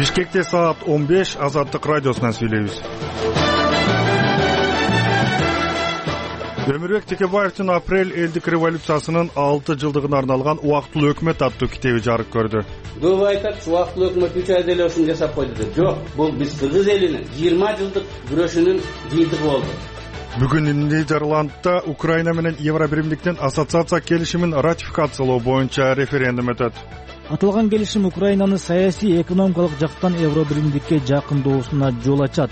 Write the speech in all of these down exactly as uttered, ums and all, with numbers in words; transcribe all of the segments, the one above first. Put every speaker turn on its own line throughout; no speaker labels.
Бишкекте саат он беш, Азаттык радиосунан сүйлөйбүз. Өмүрбек Текебаевдин апрель элдик революциясынын алты жылдыгына арналган Убактылуу өкмөт аттуу китеби жарык көрдү.
Көп айтат, убактылуу өкмөт үч айда эле ушуну жасап койду деп. Жок, бул биз кыргыз элинин жыйырма жылдык күрөшүнүн жыйынтыгы болду.
Бүгүн Нидерландда Украина менен Евробиримдиктин ассоциация келишимин ратификациялоо боюнча референдум өтөт.
Аталган келишим Украинаны саясий, экономикалык жактан Евробиримдикке жакындоосуна жол ачат.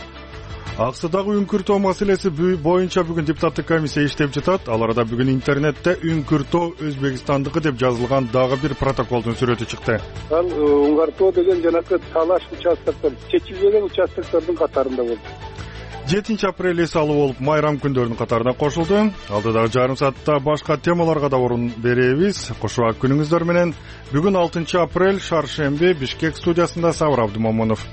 Аксыдагы үңкүртөө маселеси боюнча бүгүн депутаттык комиссия иштеп жатат. Ал арада бүгүн интернетте үңкүртөө Өзбекстандыкы деп жазылган дагы бир протоколдун сүрөтү чыкты.
Ал Уңгартоо деген жанакы талаш участоктор, чечилбеген участоктордун катарында болду.
жетинчи апрель эс алуу болуп майрам күндөрүнүн катарына кошулду. Алдыдагы жарым саатта башка темаларга да орун беребиз. Кошуак күнүңүздөр менен. Бүгүн алтынчы апрель, шаршемби, Бишкек студиясында Сабыр Абдымомунов.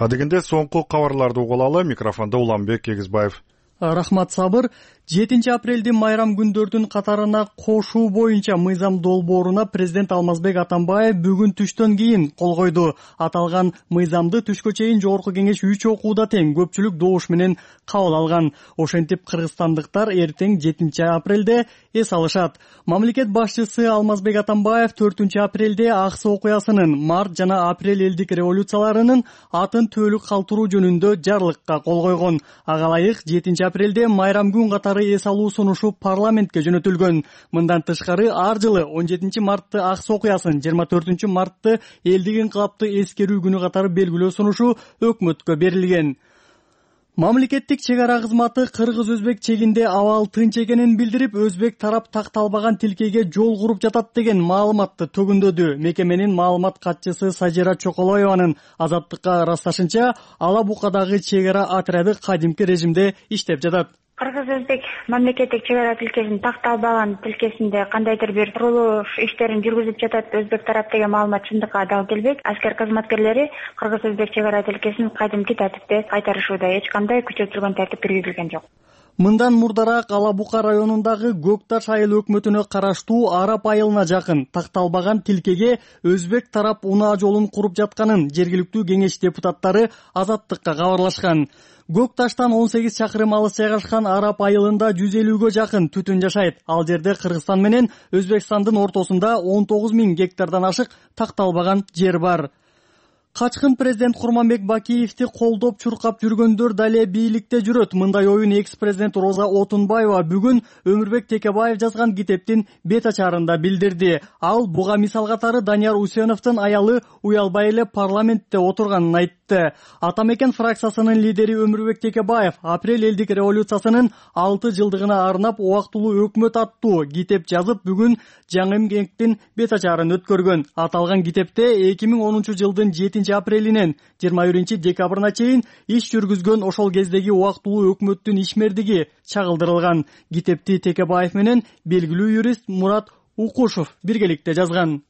Адегенде соңку кабарларды угулалы. Микрофондо Уланбек Эгизбаев.
Рахмат, Сабыр. жетинчи апрелдин майрам күндөрдүн катарына кошуу боюнча мыйзам долбооруна президент Алмазбек Атамбаев бүгүн түштөн кийин кол койду. Аталган мыйзамды түшкө чейин Жогорку кеңеш үч окууда тең көпчүлүк добуш менен кабыл алган. Ошентип кыргызстандыктар эртең жетинчи апрелде эс алышат. Мамлекет башчысы Алмазбек Атамбаев төртүнчү апрелде Аксы окуясынын, март жана апрель элдик революцияларынын атын түбөлүк калтыруу жөнүндө жарлыкка кол койгон. Ага ылайык жетинчи апрелде майрам күн катары эс алуу сунушу парламентке жөнөтүлгөн. Мындан тышкары ар жылы он жетинчи мартты Аксы окуясын, жыйырма төртүнчү мартты элдик инкылапты эскерүү күнү катары белгилөө сунушу өкмөткө берилген. Мамлекеттик чек ара кызматы кыргыз-өзбек чегинде абал тынч экенин билдирип, өзбек тарап такталбаган тилкеге жол куруп жатат деген маалыматты төгүндөдү. Мекеменин маалымат катчысы Сажира Чоколоеванын Азаттыкка ырасташынча, Ала Букадагы чек ара отряды кадимки режимде иштеп жатат.
Кыргыз-өзбек мамлекеттик чек ара тилкесин такталбаган тилкесинде кандайдыр бир курулуш иштерин жүргүзүп жатат өзбек тарап деген маалымат чындыкка дал келбейт. Аскер кызматкерлери кыргыз-өзбек чек ара тилкесин кадимки тартипте кайтарышууда, эч кандай күчөтүлгөн тартип киргизилген жок.
Мындан мурдараак Ала Бука районундагы Көкташ айыл өкмөтүнө караштуу Арап айылына жакын такталбаган тилкеге өзбек тарап унаа жолун куруп жатканын жергиликтүү кеңеш депутаттары Азаттыкка кабарлашкан. Көкташтан он сегиз чакырым алыс жайгашкан Арап айылында жүз элүүгө жакын түтүн жашайт. Ал жерде Кыргызстан менен Өзбекстандын ортосунда он тогуз миң гектардан ашык такталбаган жер бар. Качкын президент Курманбек Бакиевди колдоп чуркап жүргөндөр дале бийликте жүрөт. Мындай оюн экс-президент Роза Отунбаева бүгүн Өмүрбек Текебаев жазган китептин бет ачарында билдирди. Ал буга мисал катары Данияр Усеновдун аялы уялбай эле парламентте отурганын айтты. Атамекен фракциясынын лидери Өмүрбек Текебаев апрель элдик революциясынын алты жылдыгына арнап Убактылуу өкмөт аттуу китеп жазып, бүгүн жаңы эмгектин бет ачарын өткөргөн. Аталган китепте эки миң онунчу жылдын жетинчи апрелинен жыйырма биринчи декабрына чейин иш жүргүзгөн ошол кездеги убактылуу өкмөттүн ишмердиги чагылдырылган. Китепти Текебаев менен белгилүү юрист Мурат Укушев биргеликте жазган.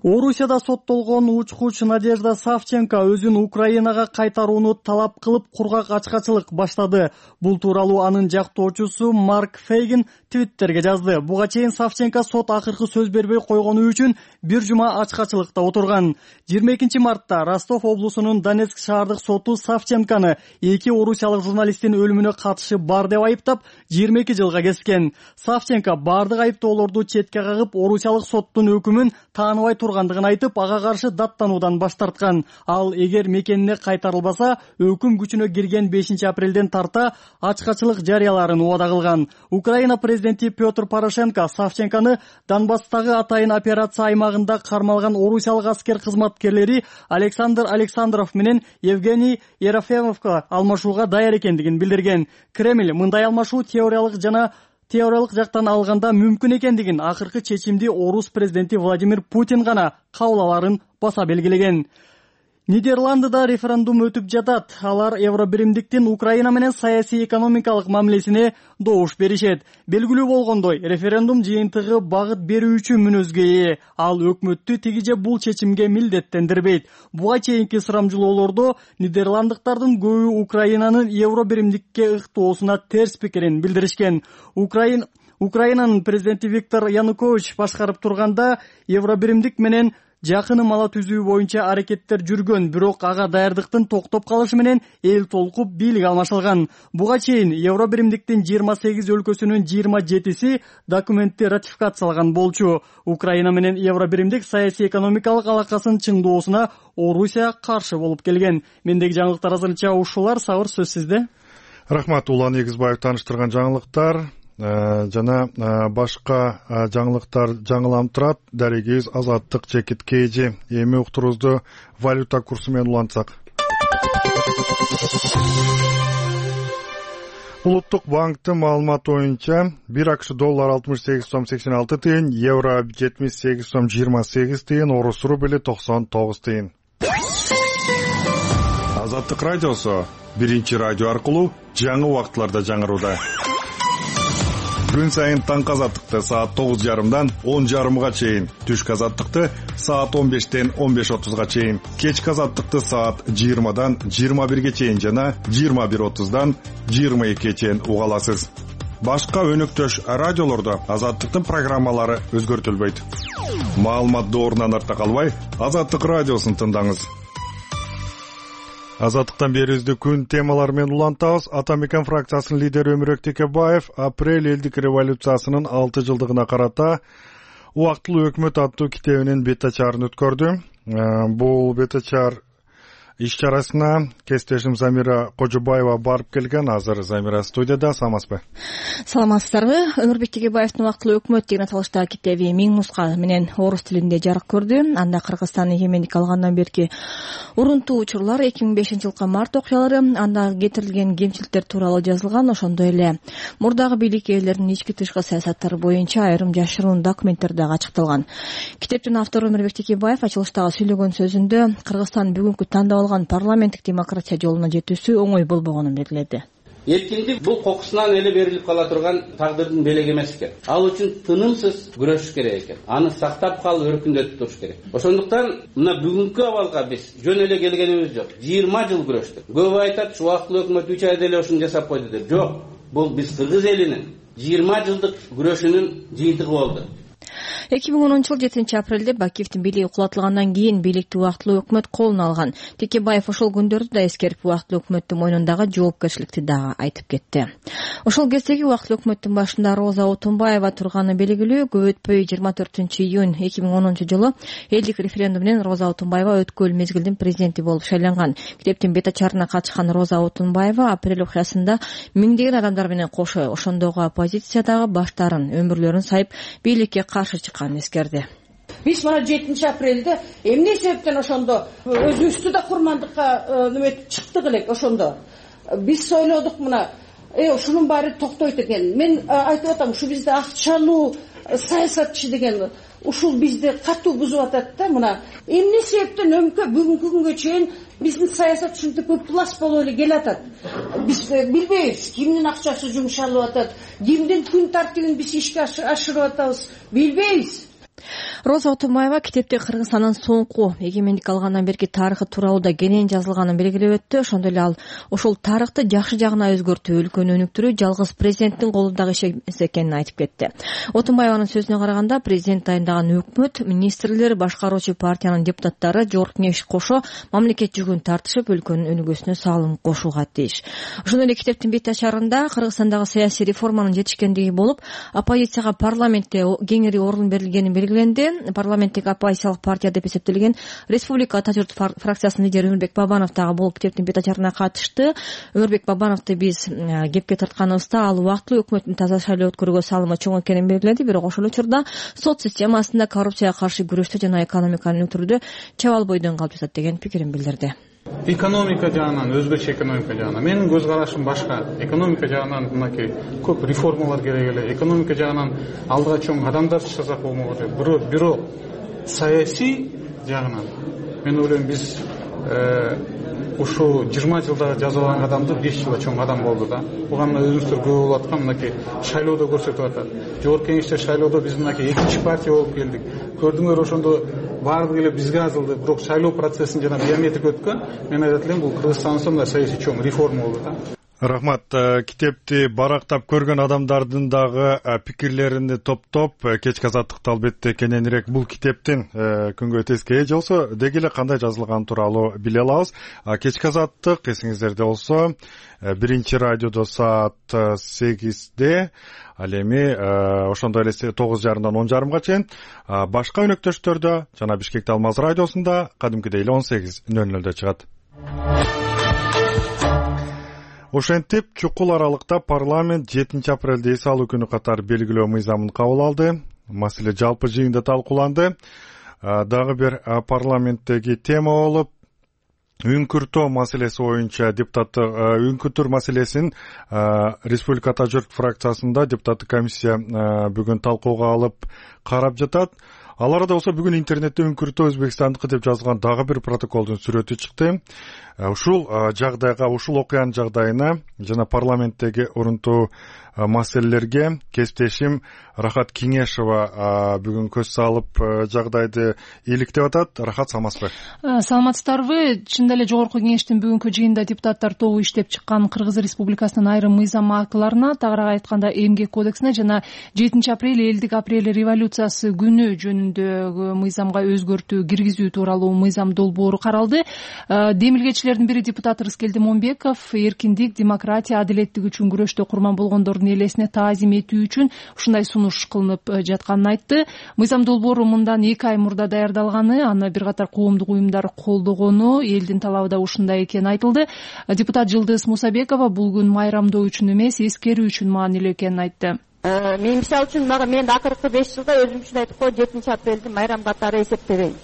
Орусияда соттолгон учкуч Надежда Савченко өзүн Украинага кайтарууну талап кылып кургак ачкачылык баштады. Бул тууралуу анын жактоочусу Марк Фейгин Твиттерге жазды. Буга чейин Савченко сот акыркы сөз бербей койгону үчүн бир жума ачкачылыкта отурган. жыйырма экинчи мартта Ростов облусунун Донецк шаардык соту Савченконы эки орусиялык журналисттин өлүмүнө катышы бар деп айыптап, жыйырма эки жылга кескен. Савченко бардык айыптоолорду четке кагып, орусиялык соттун өкүмүн тааныбай тургандыгын айтып, ага каршы даттануудан баш тарткан. Ал эгер мекенине кайтарылбаса, өкүм күчүнө кирген бешинчи апрелден тарта ачкачылык жарыяларын убада кылган. Украина президенти Петр Порошенко Савченконы Донбасстагы атайын операция аймагында кармалган орусиялык аскер кызматкерлери Александр Александров менен Евгений Ерофеевовго алмашууга даяр экендигин билдирген. Кремль мындай алмашуу теориялык жана теориялык жактан алганда мүмкүн экендигин, акыркы чечимди орус президенти Владимир Путин гана кабыл аларын баса белгилеген. Нидерландыда референдум өтүп жатат. Алар Евробиримдиктин Украина менен саясий экономикалык мамилесине добуш беришет. Белгилүү болгондой, референдум жыйынтыгы багыт берүүчү мүнөзгө ээ. Ал өкмөттү тиги же бул чечимге милдеттендирбейт. Буга чейинки сурамжылоолордо нидерландыктардын көбү Украинанын Евробиримдикке ыктоосуна терс пикирин билдиришкен. Украина Украинанын президенти Виктор Янукович башкарып турганда Евробиримдик менен жакын ала түзүү боюнча аракеттер жүргөн, бирок ага даярдыктын токтоп калышы менен эл толкуп бийлик алмашылган. Буга чейин Евробиримдиктин жыйырма сегиз өлкөсүнүн жыйырма жетиси документти ратификациялаган болчу. Украина менен Евробиримдик саясий экономикалык алакасын чыңдоосуна Орусия каршы болуп келген. Мендеги жаңылыктар азырынча ушулар. Сабыр, сөз сизде.
Рахмат, Улан Эгизбаев таныштырган жаңылыктар жана башка жаңылыктар жаңыланып турат. Дарегибиз Азаттык Чекит Кейжи. Эми уктурубузду валюта курсу менен улантсак. Улуттук банктын маалыматы боюнча бир акш доллар алтымыш сегиз сом сексен алты тыйын, евро жетимиш сегиз сом жыйырма сегиз тыйын, орус рубли токсон тогуз тыйын. Азаттык радиосу биринчи радио аркылуу жаңы убакытларда жаңырууда. Күн сайын таңкы азаттыкты саат тогуз жарымдан он жарымга чейин, түшкү азаттыкты саат он бештен он беш отузга чейин, кечки азаттыкты саат жыйырмадан жыйырма бирге чейин жана жыйырма бир отуздан жыйырма экиге чейин уга аласыз. Башка өнөктөш радиолордо азаттыктын программалары өзгөртүлбөйт. Маалымат доорунан артта калбай, Азаттык радиосун тыңдаңыз. Азаттыктан берүүбүздү күн темалары менен улантабыз. Атамекен фракциясынын лидери Өмүрбек Текебаев апрель элдик революциясынын алты жылдыгына карата убактылуу өкмөт аттуу китебинин бет ачарын өткөрдү. Бул бет ачар иш чарасына кесиптешим Замира Кожобаева барып келген. Азыр Замира студияда. Саламатсызбы?
Саламатсыздарбы? Өмүрбек Текебаевдин убактылуу өкмөт деген аталыштагы китеби миң нуска менен орус тилинде жарык көрдү. Анда Кыргызстан эгемендик алгандан берки урунтуу учурлар, эки миң бешинчи жылкы март окуялары, анда кетирилген кемчиликтер тууралуу жазылган. Ошондой эле мурдагы бийлик ээлеринин ички тышкы саясаттары боюнча айрым жашыруун документтер дагы ачыкталган. Китептин автору Өмүрбек Текебаев ачылыштагы сүйлөгөн сөзүндө Кыргызстан бүгүнкү тандап парламенттик демократия жолуна жетүүсү оңой болбогонун белгиледи.
Эркиндик бул кокусунан эле берилип кала турган тагдырдын белеги эмес экен. Ал үчүн тынымсыз күрөшүш керек экен. Аны сактап калып өркүндөтүп туруш керек. Ошондуктан мына бүгүнкү абалга биз жөн эле келгенибиз жок. жыйырма жыл күрөштүк. Көп айтат, ушу убактылуу өкмөт үч айда эле ушуну жасап койду деп. Жок, бул биз кыргыз элинин жыйырма жылдык күрөшүнүн жыйынтыгы болду.
эки миң онунчу жыл жетинчи апрелде Бакиевдин бийлиги кулатылгандан кийин бийликти убактылуу өкмөт колуна алган. Текебаев ошол күндөрдү да эскерип, убактылуу өкмөттүн мойнундагы жоопкерчиликти дагы айтып кетти. Ошол кездеги убактылуу өкмөттүн башында Роза Отунбаева турганы белгилүү. Көп өтпөй жыйырма төртүнчү июнь эки миң онунчу жылы элдик референдум менен Роза Отунбаева өткөл мезгилдин президенти болуп шайланган. Китептин бет ачарына катышкан Роза Отунбаева апрель окуясында миңдеген адамдар менен кошо ошондогу оппозициядагы баштарын, өмүрлөрүн сайып, бийликке каршы чыкканын эскерди.
Биз мына жетинчи апрелде эмне себептен ошондо өзүбүздү да курмандыкка неметип чыктык элек. Ошондо биз ойлодук, мына э ушунун баары токтойт экен. Мен айтып атам, ушу бизде акчалуу саясатчы деген ушул бизди катуу бузуп атат да. Мына эмне себептен өмкө бүгүнкү күнгө чейин биздин саясат ушинтип ыплас болуп эле келатат. Биз билбейбиз кимдин акчасы жумшалып атат, кимдин күн тартибин биз ишке ашырып атабыз, билбейбиз.
Роза Отунбаева китепте Кыргызстандын соңку эгемендик алгандан берки тарыхы тууралуу да кенен жазылганын белгилеп өттү. Ошондой эле ал ошол тарыхты жакшы жагына өзгөртүү, өлкөнү өнүктүрүү жалгыз президенттин колундагы иш эмес экенин айтып кетти. Отунбаеванын сөзүнө караганда, президент дайындаган өкмөт, министрлер, башкаруучу партиянын депутаттары жогорку кеңеш кошо мамлекет жүгүн тартышып, өлкөнүн өнүгүүсүнө салым кошууга тийиш. Ошондой эле китептин бет ачарында Кыргызстандагы саясий реформанын жетишкендиги болуп, оппозицияга парламентте кеңири орун берилгени белгиленди. Парламенттик оппозициялык партия деп эсептелген Республика Ата журт фракциясынын лидери Өмүрбек Бабанов дагы бул китептин бет ачарына катышты. Өмүрбек Бабановду биз кепке тартканыбызда ал убактылуу өкмөттүн таза шайлоо өткөрүүгө салымы чоң экенин белгиледи, бирок ошол учурда сот системасында коррупцияга каршы күрөштө жана экономиканы өнүктүрүүдө чабал бойдон калып жатат деген пикирин билдирди.
Экономика жагынан, өзбекче экономика жагынан менин көз карашым башка. Экономика жагынан мынакей көп реформалар керек эле. Экономика жагынан алдыга чоң адамдар чыгсак болмок эле. Бирок бирок саясий жагынан мен ойлойм биз ушу жыйырма жылда жазалган адамды беш жылда чоң адам болду да. Буга мына өзүңүздөр көп болуп аткан мынакей шайлоодо көрсөтүп атат. Жогорку кеңеште шайлоодо биз мынакей экинчи партия болуп келдик. Көрдүңөр, ошондо баардыгы эле бизге азылды. Бирок шайлоо процессин жана биометрик өткөн. Мен айтат элем, бул Кыргызстандын мындай саясий чоң реформа болду да.
Рахмат. Китепти барактап көргөн адамдардын дагы пикирлерини топтоп кечки азаттыкта албетте кененирээк бул китептин күнгө тескей болсо деги эле кандай жазылганы тууралуу биле алабыз. Кечки азаттык эсиңиздерде болсо биринчи радиодо саат сегизде, ал эми ошондой эле тогуз жарымдан он жарымга чейин, башка өнөктөштөрдө жана Бишкекте Алмаз радиосунда кадимкидей эле он сегиз нөл нөлдө чыгат. Ошентип чукул аралыкта парламент жетинчи апрелде эс алуу күнү катары белгилөө мыйзамын кабыл алды. Маселе жалпы жыйында талкууланды. Дагы бир парламенттеги тема болуп, үңкүртөө маселеси боюнча депутаттык үңкүртүү маселесин Республика Ата журт фракциясында депутаттык комиссия бүгүн талкууга алып карап жатат. Ал арада болсо бүгүн интернетте үңкүртөө Өзбекстандыкы деп жазылган дагы бир протоколдун сүрөтү чыкты. Ушул жагдайга, ушул окуянын жагдайына жана парламенттеги орунтуу маселелерге кесиптешим Рахат Кеңешова бүгүн көз салып жагдайды иликтеп атат. Рахат, саламатсызбы?
Саламатсыздарбы? Чындап эле жогорку кеңештин бүгүнкү жыйында депутаттар тобу иштеп чыккан Кыргыз Республикасынын айрым мыйзам актыларына, тагыраак айтканда Эмгек кодексине жана жетинчи апрель элдик апрель революциясы күнү жөнүндөгү мыйзамга өзгөртүү киргизүү тууралуу мыйзам долбоору каралды. Демилгечилердин бири депутат Рыскелди Момбеков эркиндик, демократия, адилеттик үчүн күрөштө курман болгондордун элесине таазим этүү үчүн ушундай сунуш кылынып жатканын айтты. Мыйзам долбоору мындан эки ай мурда даярдалганы, аны бир катар коомдук уюмдар колдогону, элдин талабы да ушундай экени айтылды. Депутат Жылдыз Мусабекова бул күн майрамдоо үчүн эмес, эскерүү үчүн маанилүү экенин айтты.
Мен мисалы үчүн мага мен акыркы беш жылда өзүм үчүн айтып коеюн, жетинчи апрелди майрам катары эсептебейм.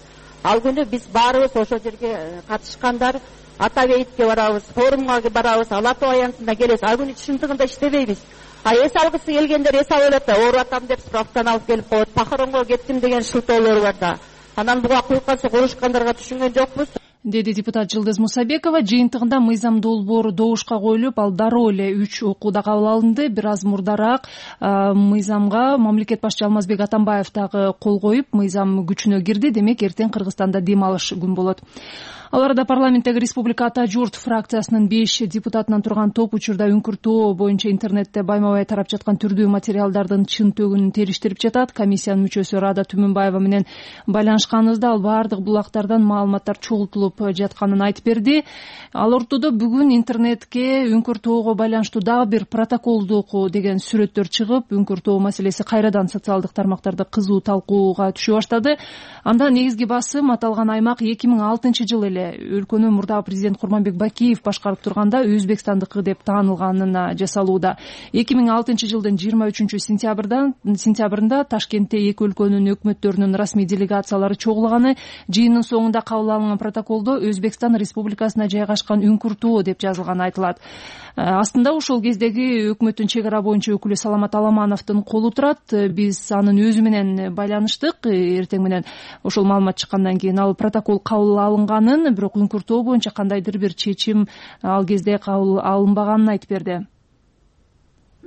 Ал күнү биз баарыбыз ошол жерге катышкандар Ата бейитке барабыз, форумга барабыз, Ала Тоо аянтына келебиз. Ал күнү чындыгында иштебейбиз. А эс алгысы келгендер эс алып элет да, ооруп атам деп справканы алып келип коет. Похоронго кеттим деген шылтоолор бар да. Анан буга куйкасы курушкандарга түшүнгөн жокпуз,
деди депутат Жылдыз Мусабекова. Жыйынтыгында мыйзам долбоору добушка коюлуп, ал дароо эле үч окууда кабыл алынды. Бир аз мурдараак мыйзамга мамлекет башчы Алмазбек Атамбаев дагы кол коюп, мыйзам күчүнө кирди. Демек эртең Кыргызстанда дем алыш күн болот. Ал арада парламенттеги Республика Ата журт фракциясынын беш депутатынан турган топ учурда үңкүртөө боюнча интернетте байма-бай тарап жаткан түрдүү материалдардын чын төгүнүн териштирип жатат. Комиссиянын мүчөсү Рада Түмүнбаева менен байланышканыбызда ал баардык булактардан маалыматтар чогултулуп жатканын айтып берди. Ал ортодо бүгүн интернетке үңкүртөөгө байланыштуу дагы бир протоколдук деген сүрөттөр чыгып, үңкүртөө маселеси кайрадан социалдык тармактарда кызуу талкууга түшө баштады. Анда негизги басым аталган аймак эки миң алтынчы жылы эле өлкөнү мурдагы президент Курманбек Бакиев башкарып турганда Өзбекстандыкы деп таанылганына жасалууда. эки миң алтынчы жылдын жыйырма үчүнчү сентябрында Ташкентте эки өлкөнүн өкмөттөрүнүн расмий делегациялары чогулганы, жыйындын соңунда кабыл алынган протоколдо Өзбекстан Республикасына жайгашкан үңкүртөө деп жазылганы айтылат. Астында ошол кездеги өкмөттүн чек ара боюнча өкүлү Саламат Аламановдун колу турат. Биз анын өзү менен байланыштык. Эртең менен ошол маалымат чыккандан кийин ал протокол кабыл алынганын, бирок үңкүртөө боюнча кандайдыр бир чечим ал кезде кабыл алынбаганын айтып берди.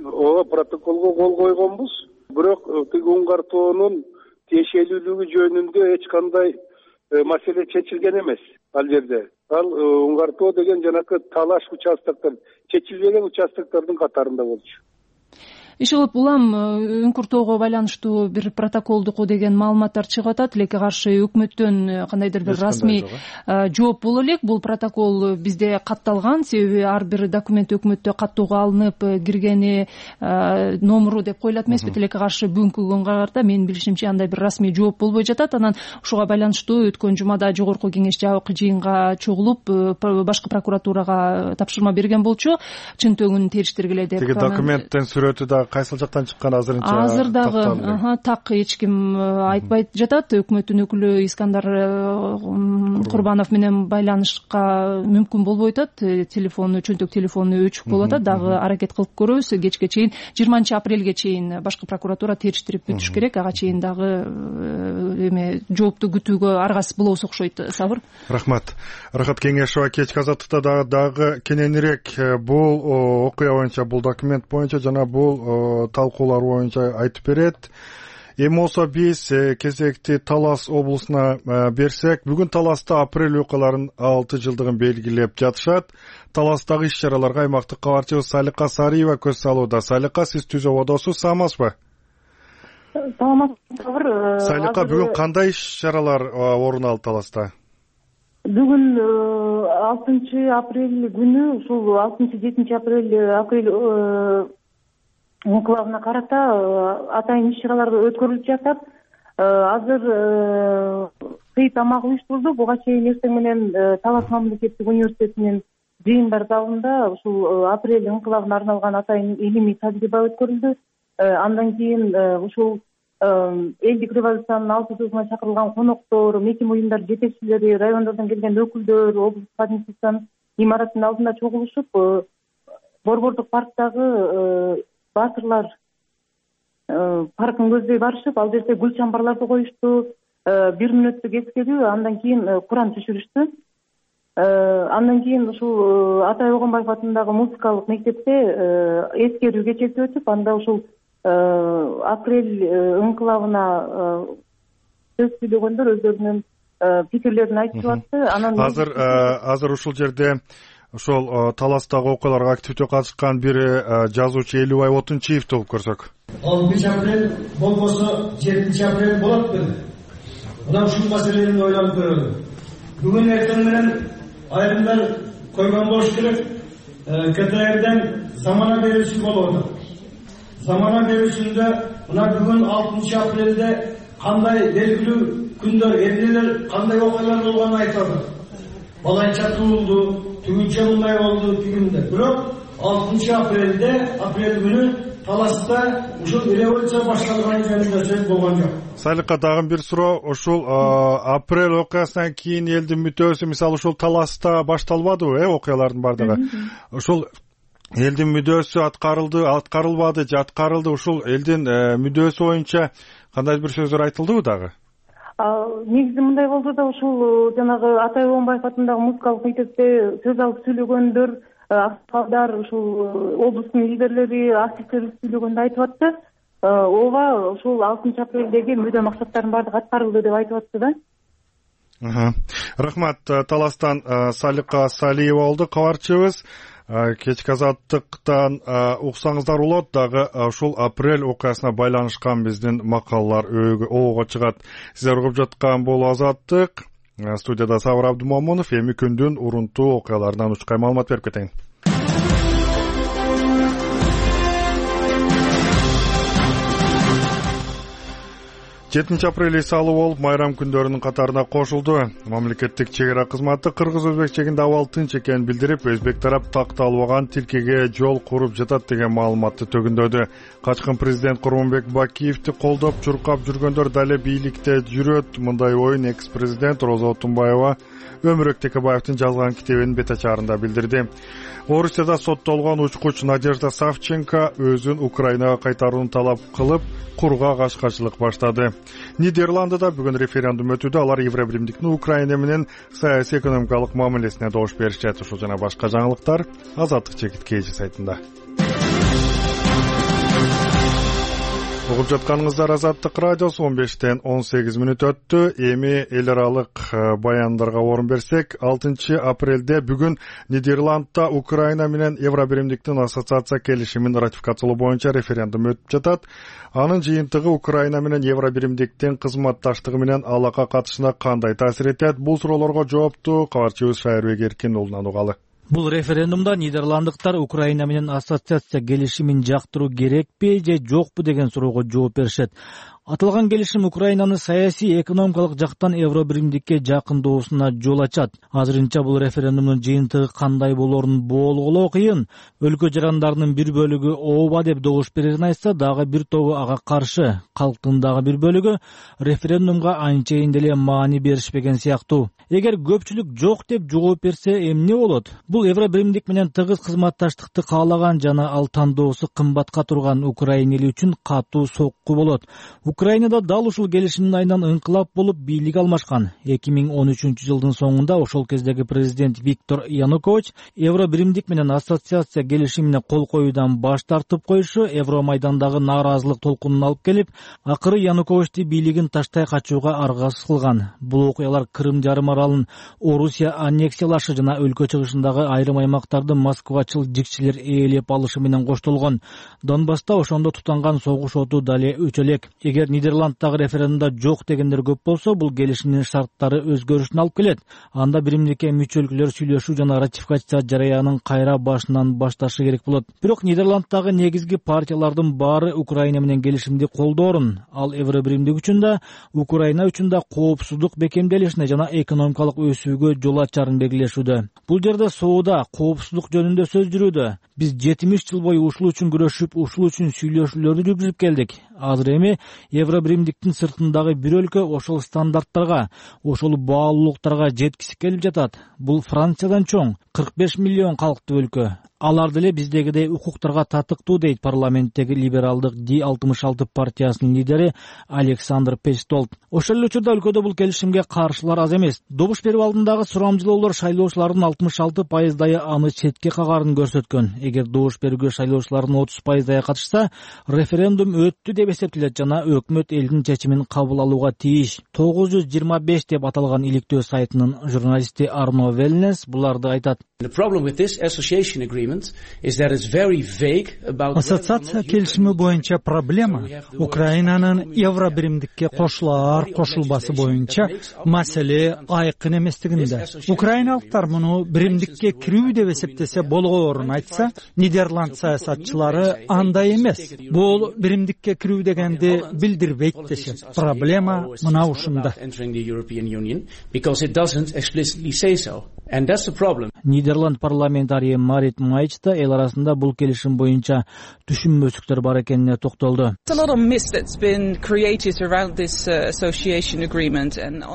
Ооба, протоколго кол койгонбуз, бирок тиги үңкүртөөнүн тиешелүүлүгү жөнүндө эч кандай маселе чечилген эмес ал жерде. Ал үңкүртөө деген жанакы талаш участоктор, чечилбеген участоктордун катарында болчу.
Ишилип улам үңкүртөөгө байланыштуу бир протоколдук деген маалыматтар чыгып атат. Тилекке каршы өкмөттөн кандайдыр бир расмий жооп боло элек. Бул протокол бизде катталган, себеби ар бир документ өкмөттө каттоого алынып киргени номуру деп коюлат эмеспи. Тилекке каршы бүгүнкү күнгө карата менин билишимче андай бир расмий жооп болбой жатат. Анан ушуга байланыштуу өткөн жумада жогорку кеңеш жабык жыйынга чогулуп башкы прокуратурага тапшырма берген болчу, чын төгүнүн териштиргиле деп.
Тиги документтин сүрөтү да кайсыл жактан чыккан азырынча
азыр дагы так эч ким айтпай жатат. Өкмөттүн өкүлү Искандар Курбанов менен байланышка мүмкүн болбой атат. Телефону, чөнтөк телефону өчүк болуп атат. Дагы аракет кылып көрөбүз. Кечке чейин жыйырманчы апрелге чейин башкы прокуратура териштирип бүтүш керек. Ага чейин дагы эме жоопту күтүүгө аргасыз болобуз окшойт. Сабыр.
Рахмат. Рахат Кеңешова кечки азаттыкта дагы кененирээк бул окуя боюнча, бул документ боюнча жана бул талкуулар боюнча айтып берет. Эми болсо биз кезекти Талас облусуна берсек, бүгүн Таласта апрель окуяларынын алты жылдыгын белгилеп жатышат. Таластагы иш-чараларга аймактык кабарчыбыз Салика Сариева көз салууда. Салика, сиз түз абадасыз, саламатсызбы?
Саламатсызбы.
Салика, бүгүн кандай иш-чаралар орун алды Таласта?
Бүгүн алтынчы апрель күнү, ушул алтынчы жетинчи апрель апрель анклавына карата атайын иш-чаралар өткөрүлүп жатат. Азыр кый тамак уюштурулду. Буга чейин эртең менен Талас мамлекеттик университетинин жыйындар залында ушул апрель анклавына арналган атайын илимий тажрыйба өткөрүлдү. Андан кийин ушул элдик революциянын алты жылдыгына чакырылган коноктор, мекеме уюмдар жетекчилери, райондордон келген өкүлдөр облустук администрациянын имаратынын алдында чогулушуп, Борбордук парктагы баатырлар паркын көздөй барышып, ал жерде гүл чамбарларды коюшту, бир мүнөттүк эскерүү, андан кийин Куран түшүрүштү. Андан кийин ушул Атай Огонбаев атындагы музыкалык мектепте эскерүү кечеси өтүп, анда ушул апрель анклавына сөз сүйлөгөндөр өздөрүнүн пикирлерин айтып атты. Анан
азыр азыр ушул жерде ошол Таластагы окуяларга активдүү катышкан бир жазуучу Элубай Отунчиевди угуп көрсөк.
алтынчы апрель болбосо жетинчи апрель болот беле. Мына ушул маселени ойлонуп көрөлү. Бүгүн эртең менен айрымдар койгон болуш керек. КТРден замана берүүсү болуп атат. Замана берүүсүндө мына бүгүн алтынчы апрелде кандай белгилүү күндөр, эмнелер, кандай окуялар болгонун айтып атат. Балайча туулду, түгүнчө мындай болду, тигинде. Бирок алтынчы апрелде, апрель күнү Таласта ушул революция башталган жөнүндө сөз болгон жок.
Салика, дагы бир суроо, ушул апрель окуясынан кийин элдин мүдөөсү, мисалы ушул Таласта башталбадыбы, э, окуялардын бардыгы? Ушул элдин мүдөөсү аткарылды, аткарылбады же аткарылды, ушул элдин мүдөөсү боюнча кандай бир сөздөр айтылдыбы дагы?
Негизи мындай болду да, ушул жанагы Атай Огонбаев атындагы музыкалык мектепте сөз алып сүйлөгөндөр, аксакалдар, ушул облустун лидерлери, активдер сүйлөгөндө айтып атты. Ооба, ушул алтынчы апрелдеги мүдө максаттардын баардыгы аткарылды деп айтып атты да.
Рахмат. Таластан Салика Салиева болду кабарчыбыз. Кечки азаттыктан уксаңыздар болот, дагы ушул апрель окуясына байланышкан биздин макалалар оого чыгат. Сиздер угуп жаткан бул Азаттык. Студияда Сабыр Абдумомунов. Эми күндүн урунтуу окуяларынан учкай маалымат берип кетейин. жетинчи апрель эс алуу болуп, майрам күндөрүнүн катарына кошулду. Мамлекеттик чек ара кызматы кыргыз-өзбек чегинде абал тынч экенин билдирип, өзбек тарап такталбаган тилкеге жол куруп жатат деген маалыматты төгүндөдү. Качкын президент Курманбек Бакиевди колдоп чуркап жүргөндөр дале бийликте жүрөт. Мындай оюн экс-президент Роза Отунбаева Өмүрөк Текебаевдин жазган китебинин бет ачарында билдирди. Орусияда соттолгон учкуч Надежда Савченко өзүн Украинага кайтарууну талап кылып, курга качкачылык баштады. Нидерландыда бүгүн референдум өтүүдө. Алар Евробиримдиктин Украина менен саясий экономикалык мамилесине добуш беришет. Ушул жана башка жаңылыктар Азаттык чекит кеже сайтында. Угуп жатканыңыздар Азаттык радиосу. Он бештен он сегиз мүнөт өттү. Эми эл аралык баяндарга орун берсек, алтынчы апрелде бүгүн Нидерландда Украина менен Евробиримдиктин ассоциация келишимин ратификациялоо боюнча референдум өтүп жатат. Анын жыйынтыгы Украина менен Евробиримдиктин кызматташтыгы менен алака катышына кандай таасир этет? Бул суроолорго жоопту кабарчыбыз Шайырбек Эркин уулунан угалы.
Бул референдумда нидерландыктар Украина менен ассоциация келишимин жактыруу керекпи же жокпу деген суроого жооп беришет. Аталган келишим Украинаны саясий экономикалык жактан Евробиримдикке жакындоосуна жол ачат. Азырынча бул референдумдун жыйынтыгы кандай болорун болгулоо кыйын. Өлкө жарандарынын бир бөлүгү ооба деп добуш берерин айтса, дагы бир тобу ага каршы. Калктын дагы бир бөлүгү референдумга анчейин деле маани беришпеген сыяктуу. Эгер көпчүлүк жок деп жооп берсе, эмне болот? Бул Евробиримдик менен тыгыз кызматташтыкты каалаган жана ал тандоосу кымбатка турган Украина эли үчүн катуу сокку болот. Украинада дал ушул келишимдин айынан ыңкылап болуп бийлик алмашкан. эки миң он үчүнчү жылдын соңунда ошол кездеги президент Виктор Янукович Евробиримдик менен ассоциация келишимине кол коюудан баш тартып коюшу Евромайдандагы нааразылык толкунун алып келип, акыры Януковичти бийлигин таштай качууга аргасыз кылган. Бул окуялар Крым жарым аралын Орусия аннексиялашы жана өлкө чыгышындагы айрым аймактарды москвачыл жикчилер ээлеп алышы менен коштолгон. Донбасста ошондо тутанган согуш оту дале өчө элек. Эгер Нидерланддагы референдумда жок дегендер көп болсо, бул келишимдин шарттары өзгөрүшүнө алып келет. Анда биримдикке мүчө өлкөлөр сүйлөшүү жана ратификация жараянын кайра башынан башташы керек болот. Бирок Нидерланддагы негизги партиялардын баары Украина менен келишимди колдоорун, ал Евробиримдик үчүн да, Украина үчүн да коопсуздук бекемделишине жана экономикалык өсүүгө жол ачарын белгилешүүдө. Бул жерде соода, коопсуздук жөнүндө сөз жүрүүдө. Биз жетимиш жыл бою ушул үчүн күрөшүп, ушул үчүн сүйлөшүүлөрдү жүргүзүп келдик. Азыр эми Евробиримдиктин сыртындагы бир өлкө ошол стандарттарга, ошол баалуулуктарга жеткиси келип жатат. Бул Франциядан чоң, кырк беш миллион калктуу өлкө. Алар деле биздегидей укуктарга татыктуу, дейт парламенттеги либералдык Ди алтымыш алты партиясынын лидери Александр Пестолт. Ошол эле учурда өлкөдө бул келишимге каршылар аз эмес. Добуш берүү алдындагы сурамжылоолор шайлоочулардын алтымыш алты пайыздайы аны четке кагарын көрсөткөн. Эгер добуш берүүгө шайлоочулардын отуз пайыздайы катышса, референдум өттү деп эсептелет жана өкмөт элдин чечимин кабыл алууга тийиш. тогуз жүз жыйырма беш деп аталган иликтөө сайтынын журналисти Арно Велнес буларды айтат.
Ассоциация келишими боюнча проблема Украинанын Евробиримдикке кошулаар кошулбасы боюнча маселе айкын эместигинде. Украиналыктар муну биримдикке кирүү деп эсептесе болгоорун айтса, Нидерланд саясатчылары андай эмес. Бул биримдикке кирүү дегенди билдирбейт дешет. Проблема мына ушунда.
Нидерланд парламентарийи Марит Майч да эл арасында бул келишим боюнча түшүнбөчүктөр бар экенине токтолду.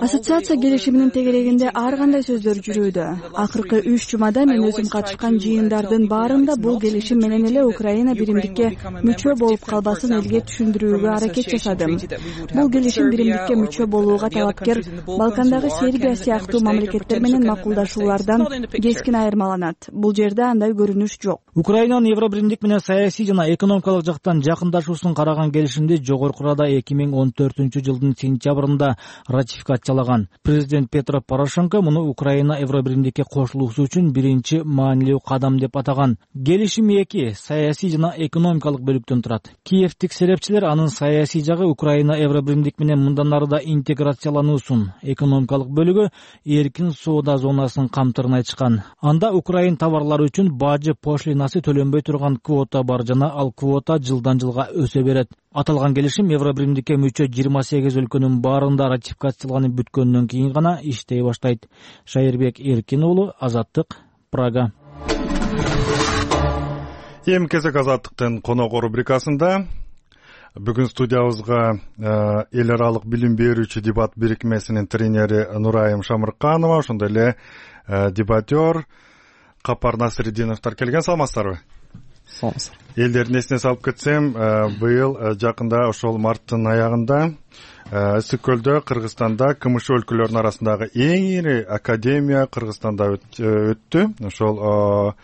Ассоциация келишиминин тегерегинде ар кандай сөздөр жүрүүдө. Акыркы үч жумада мен өзүм катышкан жыйындардын баарында бул келишим менен эле Украина биримдикке мүчө болуп калбасын элге түшүндүрүүгө аракет жасадым. Бул келишим биримдикке мүчө болууга талапкер Балкандагы Сербия сыяктуу мамлекеттер менен макулдашуулардан кескин айырмаланат. Бул жерде андай көрүнүш жок.
Украинанын Евробиримдик менен саясий жана экономикалык жактан жакындашуусун караган келишимди жогорку Рада эки миң он төртүнчү жылдын сентябрында ратификациялаган. Президент Петро Порошенко муну Украина Евробиримдикке кошулуусу үчүн биринчи маанилүү кадам деп атаган. Келишим эки саясий жана экономикалык бөлүктөн турат. Киевтик серепчилер анын саясий жагы Украина Евробиримдик менен мындан ары да интеграциялануусун, экономикалык бөлүгү эркин соода зонасын камтырын айтышкан. Анда Украин товарлары үчүн бажы пошлинасы төлөнбөй турган квота бар жана ал квота жылдан жылга өсө берет. Аталган келишим Евробиримдикке мүчө жыйырма сегиз өлкөнүн баарында ратификацияланып бүткөндөн кийин гана иштей баштайт. Шайырбек Эркин уулу, Азаттык, Прага.
Эми кезек Азаттыктын коногу рубрикасында бүгүн студиябызга эл аралык билим берүүчү дебат бирикмесинин тренери Нурайым Шамырканова, ошондой эле дебатер Капар Насыридиновдор келген. Саламатсыздарбы?
Саламатсыздар.
Элдердин эсине салып кетсем, быйыл жакында ошол марттын аягында Ысык көлдө Кыргызстанда КМШ өлкөлөрүнүн арасындагы эң ири академия Кыргызстанда өттү. Ошол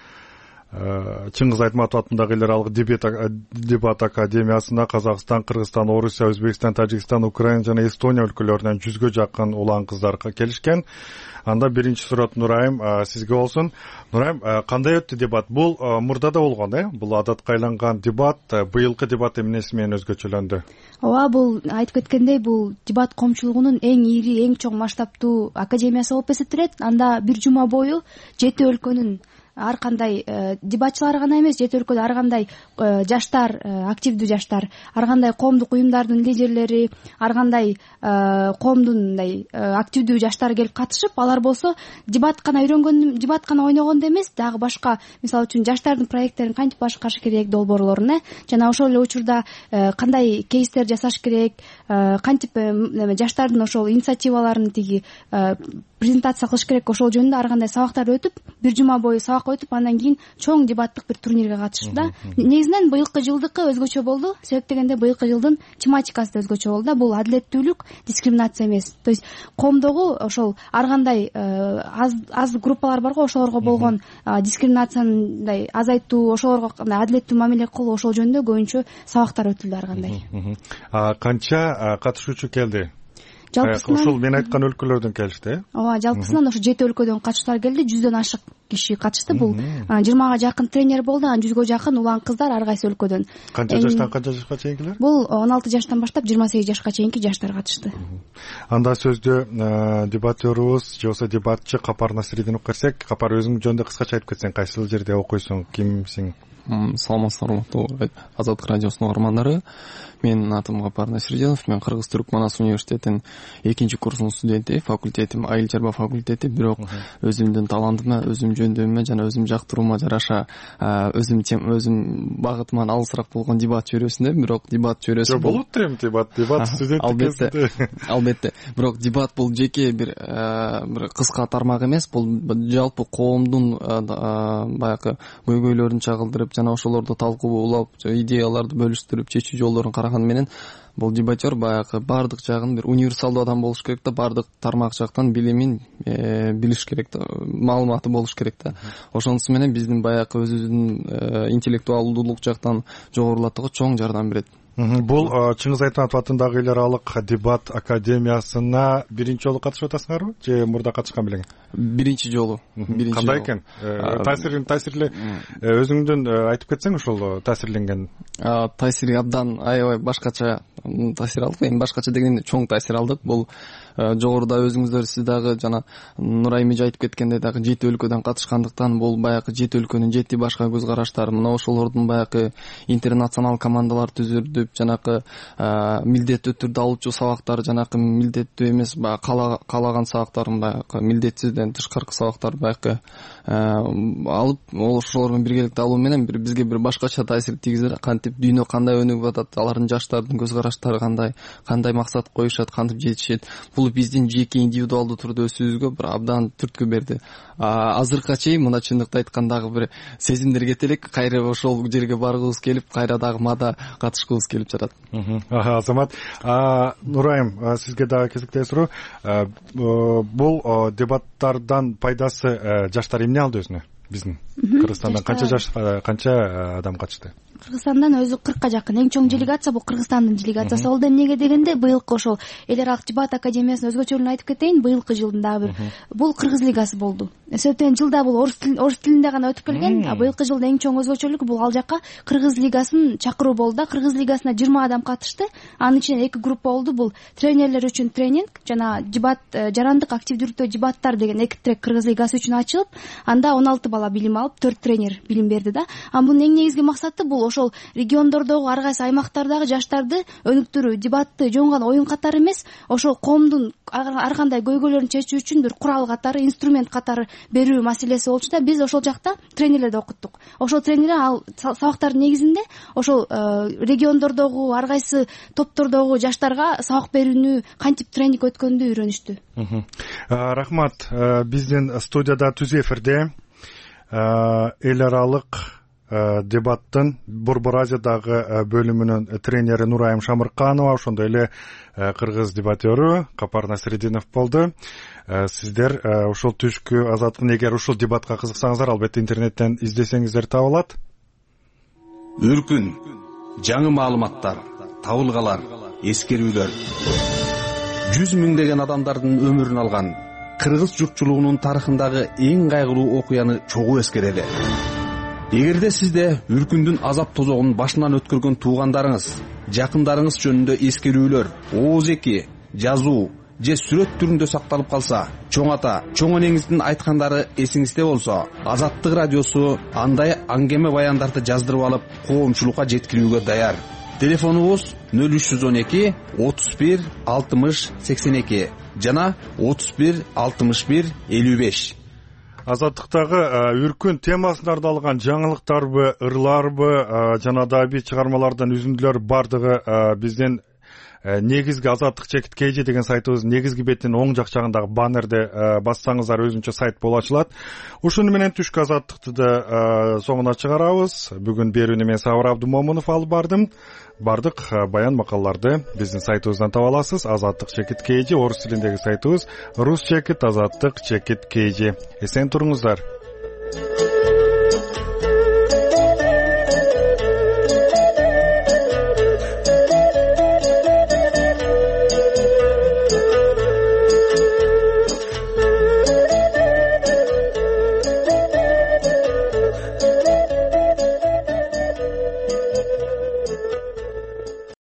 Чыңгыз Айтматов атындагы эл аралык дебат академиясында Казакстан, Кыргызстан, Орусия, Өзбекстан, Тажикстан, Украина жана Эстония өлкөлөрүнөн жүзгө жакын улан кыздар келишкен. Анда биринчи сурат Нурайым сизге болсун. Нурайым, кандай өттү дебат? Бул мурда да болгон, э? Бул адатка айланган дебат. Быйылкы дебат эмнеси менен өзгөчөлөндү?
Ооба, бул айтып кеткендей, бул дебат коомчулугунун эң ири, эң чоң масштабтуу академиясы болуп эсептелет. Анда бир жума бою жети өлкөнүн ар кандай дебатчылар гана эмес, жети өлкөдө ар кандай жаштар, активдүү жаштар, ар кандай коомдук уюмдардын лидерлери, ар кандай коомдун мындай активдүү жаштар келип катышып, алар болсо дебат гана үйрөнгөн, дебат гана ойногондо эмес, дагы башка, мисалы үчүн жаштардын проекттерин кантип башкарыш керек, долбоорлорун, э жана ошол эле учурда кандай кейстер жасаш керек, кантип жаштардын ошол инициативаларын тиги презентация кылыш керек, ошол жөнүндө ар кандай сабактар өтүп, бир жума бою сабак өтүп, андан кийин чоң дебаттык бир турнирге катышты да. Негизинен быйылкы жылдыкы өзгөчө болду. Себеп дегенде быйылкы жылдын тематикасы да өзгөчө болду да. Бул адилеттүүлүк, дискриминация эмес. То есть коомдогу ошол ар кандай аз аз группалар барго, ошолорго болгон дискриминацияны мындай азайтуу, ошолорго кандай адилеттүү мамиле кылуу, ошол жөнүндө көбүнчө сабактар өтүлдү ар кандай.
Канча катышуучу келди?
Жалпысынан
ошол мен айткан өлкөлөрдөн келишти, э?
Ооба, жалпысынан ошо жети өлкөдөн катышуулар келди, жүздөн ашык киши катышты. Бул жыйырмага жакын тренер болду, анан жүзгө жакын улан кыздар ар кайсы өлкөдөн.
Канча жаштан канча жашка чейинкилер?
Бул он алты жаштан баштап жыйырма сегиз жашка чейинки жаштар катышты.
Анда сөздү дебатерубуз же болбосо дебатчы Капар Насридинов керсек, Капар өзүң жөнүндө кыскача айтып кетсең, кайсыл жерде окуйсуң, кимсиң?
Саламатсыздар, урматтуу Азаттык радиосунун угармандары. Менин атым Капар Насридинов. Мен Кыргыз-Түрк Манас университетинин экинчи курсунун студенти, факультетим айыл чарба факультети. Бирок өзүмдүн талантыма, өзүм жөндөмүмө жана өзүм жактыруума жараша өзүм өзүм багытыман алысыраак болгон дебат чөйрөсүндө. Бирок дебат чөйрөсү
болот турем, дебат, дебат студенттик.
Албетте, албетте. Бирок дебат бул жеке бир бир кыска тармак эмес, бул жалпы коомдун баягы көйгөйлөрүн чагылдырып, жана ошолорду талкуулап, идеяларды бөлүштүрүп, чечүү жолдорун караган менен бул дебатер баягы баардык жагын бир универсалдуу адам болуш керек да, баардык тармак жактан билимин билиш керек да, маалыматы болуш керек да. Ошонусу менен биздин баягы өзүбүздүн интеллектуалдуулук жактан жогорулатууга чоң жардам берет.
Бул Чыңгыз Айтматов атындагы эл аралык дебат академиясына биринчи жолу катышып атасыңарбы же мурда катышкан белең?
Биринчи жолу.
Кандай экен? Таасирин таасирле өзүңдөн айтып кетсең, ошол таасирленген.
Таасири абдан аябай башкача таасир алдык. Эми башкача дегенде чоң таасир алдык. Бул жогоруда өзүңүздөр сиз дагы жана Нурайым эже айтып кеткендей дагы жети өлкөдөн катышкандыктан бул баягы жети өлкөнүн жети башка көз караштары, мына ошолордун баягы интернационал командалар түзүлүп, жанакы милдеттүү түрдө алуучу сабактар, жанакы милдеттүү эмес, баягы каалаган сабактарын баягы милдетсизден тышкаркы сабактар баягы алып, ошолор менен биргеликте алуу менен бир бизге бир башкача таасир тийгизет. Кантип дүйнө кандай өнүгүп атат, алардын жаштардын көз караштары кандай, кандай максат коюшат, кантип жетишет. Бул биздин жеке индивидуалдуу түрдө өсүүбүзгө бир абдан түрткү берди. Азыркыга чейин мына чындыкты айткандагы бир сезимдер кете элек, кайра ошол жерге баргыбыз келип, кайра дагы мада катышкыбыз келип жатат.
Азамат, Нурайым, сизге дагы кезектеги суроо. Бул дебаттардан пайдасы жаштар эмне алды өзүнө? Биздин Кыргызстандан канча жаш канча адам катышты?
Кыргызстандан өзү кыркка жакын. Эң чоң делегация бул Кыргызстандын делегациясы болду. Эмнеге дегенде, быйылкы ошол эл аралык дебат академиясынын өзгөчөлүгүн айтып кетейин. Быйылкы жылдын дагы бир бул Кыргыз лигасы болду. Себептен жылда бул орус тилинде гана өтүп келген, а быйылкы жылдын эң чоң өзгөчөлүгү бул ал жака Кыргыз лигасын чакыруу болду да. Кыргыз лигасына жыйырма адам катышты. Анын ичинен эки группа болду. Бул тренерлер үчүн тренинг жана дебат, жарандык активдүүлүктө дебаттар деген эки трек Кыргыз лигасы үчүн ачылып, анда он алты бала билим алып, төрт тренер билим берди да. А бунун эң негизги максаты бул ошол региондордогу ар кайсы аймактардагы жаштарды өнүктүрүү, дебатты жоңгон оюн катары эмес, ошол коомдун ар кандай көйгөйлөрүн чечүү үчүн бир курал катары, инструмент катары берүү маселеси болчу да. Биз ошол жакта тренерлерди окуттук. Ошол тренерлер ал сабактардын негизинде ошол региондордогу ар кайсы топтордогу жаштарга сабак берүүнү, кантип тренинг өткөндү үйрөнүштү.
Рахмат. Биздин студияда түз эфирде эл аралык дебаттын Борбор Азиядагы бөлүмүнүн тренери Нурайым Шамырканова, ошондой эле кыргыз дебатёру Капар Насридинов болду. Сиздер ушул түшкү Азаттык, эгер ушул дебатка кызыксаңыздар, албетте интернеттен издесеңиздер таба алат.
Үркүн, жаңы маалыматтар, табылгалар, эскерүүлөр. Жүз миңдеген адамдардын өмүрүн алган кыргыз журтчулугунун тарыхындагы эң кайгылуу окуяны чогуу эскерели. Эгерде сизде үркүндүн азап тозогун башынан өткөргөн туугандарыңыз, жакындарыңыз жөнүндө эскерүүлөр, ооз эки, жазуу же сүрөт түрүндө сакталып калса, чоң ата, чоң энеңиздин айткандары эсиңизде болсо, Азаттык радиосу андай аңгеме баяндарды жаздырып алып, коомчулукка жеткирүүгө даяр. Телефонубуз нөл үч жүз он эки отуз бир алтымыш сексен эки жана отуз бир алтымыш бир элүү беш.
Азаттыктагы үркүн темасына арналган жаңылыктарбы, ырларбы жана да бир чыгармалардан үзүндүлөр бардыгы биздин негизги азаттык чекит kg деген сайтыбыздын негизги бетинин оң жак жагындагы баннерде бассаңыздар өзүнчө сайт болуп ачылат. Ушуну менен түшкү азаттыкты да соңуна чыгарабыз. Бүгүн берүүнү мен Сабыр Абдымомунов алып бардым. Бардык баян макалаларды биздин сайтыбыздан таба аласыз. Азаттык чекит kg орус тилиндеги сайтыбыз рус чекит азаттык чекит kg. Эсен туруңуздар.